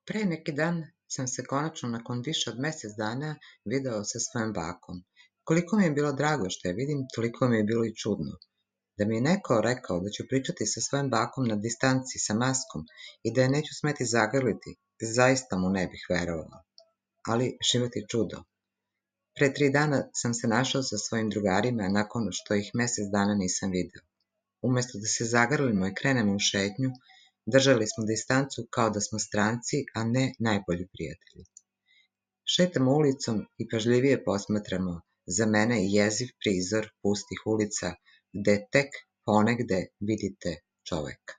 Pre neki dan sam se konačno nakon više od mesec dana video sa svojom bakom. Koliko mi je bilo drago što je vidim, toliko mi je bilo i čudno. Da mi je neko rekao da ću pričati sa svojom bakom na distanci sa maskom i da je neću smeti zagrliti, zaista mu ne bih verovala. Ali život je čudo. Pre 3 dana sam se našao sa svojim drugarima nakon što ih mesec dana nisam video. Umesto da se zagrlimo i krenemo u šetnju, držali smo distancu kao da smo stranci, a ne najbolji prijatelji. Šetamo ulicom i pažljivije posmatramo za mene jeziv prizor pustih ulica gde tek ponegde vidite čoveka.